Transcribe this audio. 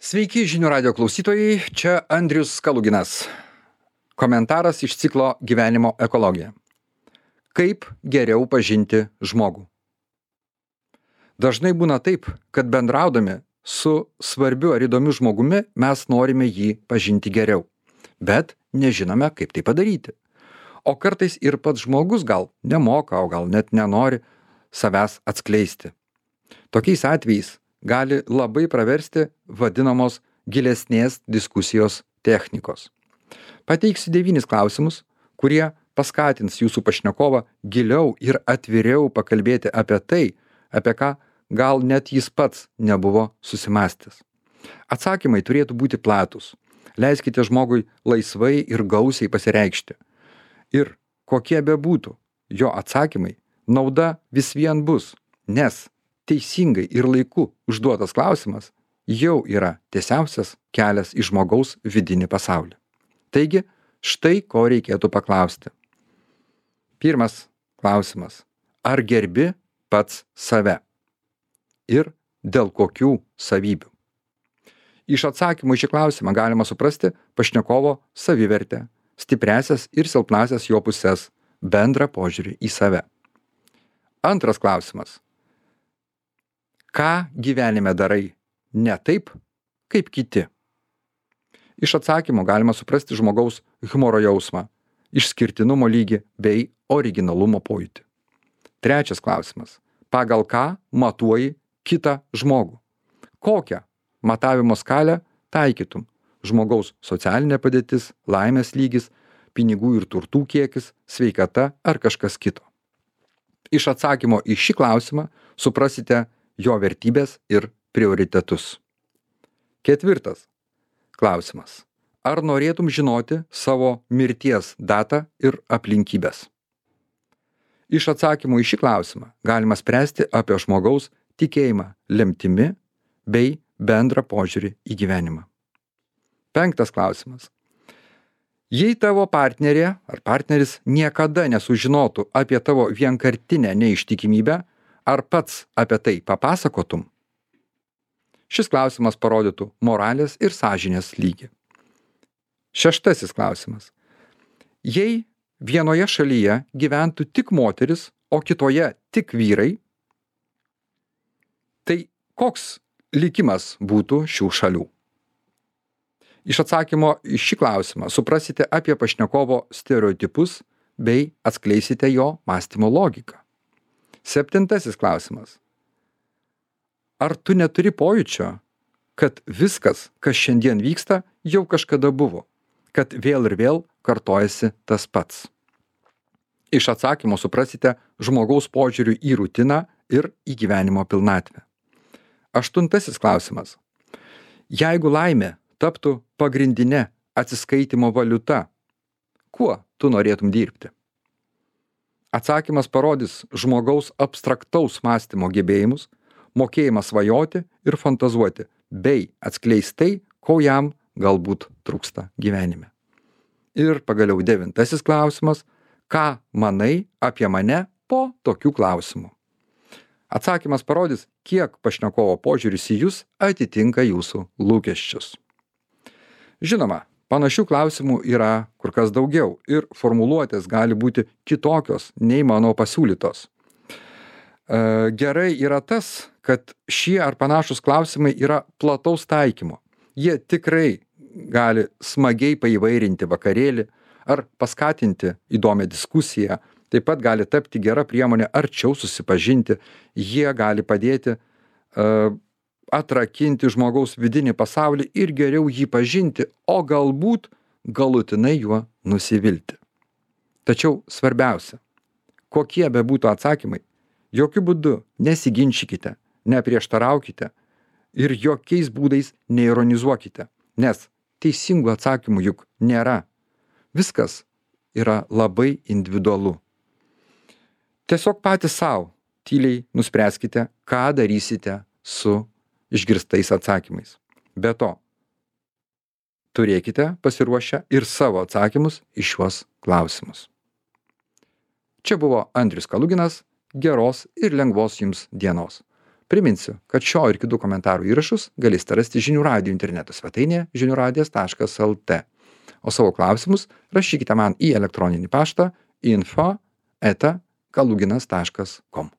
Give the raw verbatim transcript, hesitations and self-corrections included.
Sveiki žinių radio klausytojai, čia Andrius Kaluginas. Komentaras iš ciklo Gyvenimo ekologija. Kaip geriau pažinti žmogų? Dažnai būna taip, kad bendraudami su svarbiu ar įdomiu žmogumi mes norime jį pažinti geriau, bet nežinome, kaip tai padaryti. O kartais ir pats žmogus gal nemoka, o gal net nenori savęs atskleisti. Tokiais atvejais gali labai praversti vadinamos gilesnės diskusijos technikos. Pateiksiu devynis klausimus, kurie paskatins jūsų pašnekovą giliau ir atviriau pakalbėti apie tai, apie ką gal net jis pats nebuvo susimąstęs. Atsakymai turėtų būti platūs. Leiskite žmogui laisvai ir gausiai pasireikšti. Ir kokie bebūtų jo atsakymai, nauda vis vien bus, nes teisingai ir laiku užduotas klausimas jau yra tiesiausias kelias į žmogaus vidinį pasaulį. Taigi, štai ko reikėtų paklausti. Pirmas klausimas. Ar gerbi pats save? Ir dėl kokių savybių? Iš atsakymų į šį klausimą galima suprasti pašnekovo savivertę, stipriasias ir silpnasias jo puses, bendrą požiūrį į save. Antras klausimas. Ką gyvenime darai ne taip, kaip kiti? Iš atsakymų galima suprasti žmogaus humoro jausmą, išskirtinumo lygį bei originalumo pojūtį. Trečias klausimas. Pagal ką matuoji kitą žmogų? Kokią matavimo skalę taikytum? Žmogaus socialinė padėtis, laimės lygis, pinigų ir turtų kiekis, sveikata ar kažkas kito? Iš atsakymo į šį klausimą suprasite jo vertybės ir prioritetus. Ketvirtas klausimas. Ar norėtum žinoti savo mirties datą ir aplinkybės? Iš atsakymų į šį klausimą galima spręsti apie žmogaus tikėjimą lemtimi bei bendrą požiūrį į gyvenimą. Penktas klausimas. Jei tavo partnerė ar partneris niekada nesužinotų apie tavo vienkartinę neištikimybę, ar pats apie tai papasakotum? Šis klausimas parodytų moralės ir sąžinės lygį. Šeštasis klausimas. Jei vienoje šalyje gyventų tik moteris, o kitoje tik vyrai, tai koks likimas būtų šių šalių? Iš atsakymo į šį klausimą suprasite apie pašnekovo stereotipus bei atskleisite jo mąstymo logiką. Septintasis klausimas. Ar tu neturi pojūčio, kad viskas, kas šiandien vyksta, jau kažkada buvo, kad vėl ir vėl kartojasi tas pats? Iš atsakymo suprasite žmogaus požiūrių į rutiną ir į gyvenimo pilnatvę. Aštuntasis klausimas. Jeigu laimė taptų pagrindinė atsiskaitimo valiuta, kuo tu norėtum dirbti? Atsakymas parodys žmogaus abstraktaus mąstymo gebėjimus, mokėjimą svajoti ir fantazuoti, bei atskleis tai, ko jam galbūt trūksta gyvenime. Ir pagaliau devintasis klausimas. Ką manai apie mane po tokių klausimų? Atsakymas parodys, kiek pašnekovo požiūris į jūs atitinka jūsų lūkesčius. Žinoma, panašių klausimų yra kur kas daugiau ir formuluotės gali būti kitokios nei mano pasiūlytos. E, gerai yra tas, kad šie ar panašus klausimai yra plataus taikymo. Jie tikrai gali smagiai paįvairinti vakarėlį ar paskatinti įdomią diskusiją, taip pat gali tapti gera priemonė arčiau susipažinti, jie gali padėti uh, atrakinti žmogaus vidinį pasaulį ir geriau jį pažinti, o galbūt galutinai juo nusivilti. Tačiau svarbiausia, kokie bebūtų atsakymai, jokių būdų nesiginčykite, neprieštaraukite ir jokiais būdais neironizuokite, nes teisingų atsakymų juk nėra. Viskas yra labai individualu. Tiesiog patys savo tyliai nuspręskite, ką darysite su išgirstais atsakymais. Be to, turėkite pasiruošę ir savo atsakymus į šiuos klausimus. Čia buvo Andrius Kaluginas. Geros ir lengvos jums dienos. Priminsiu, kad šio ir kitų komentarų įrašus galėsite rasti žinių radijo interneto svetainėje žinių radijas taškas lt. O savo klausimus rašykite man į elektroninį paštą info eta kaluginas taškas com.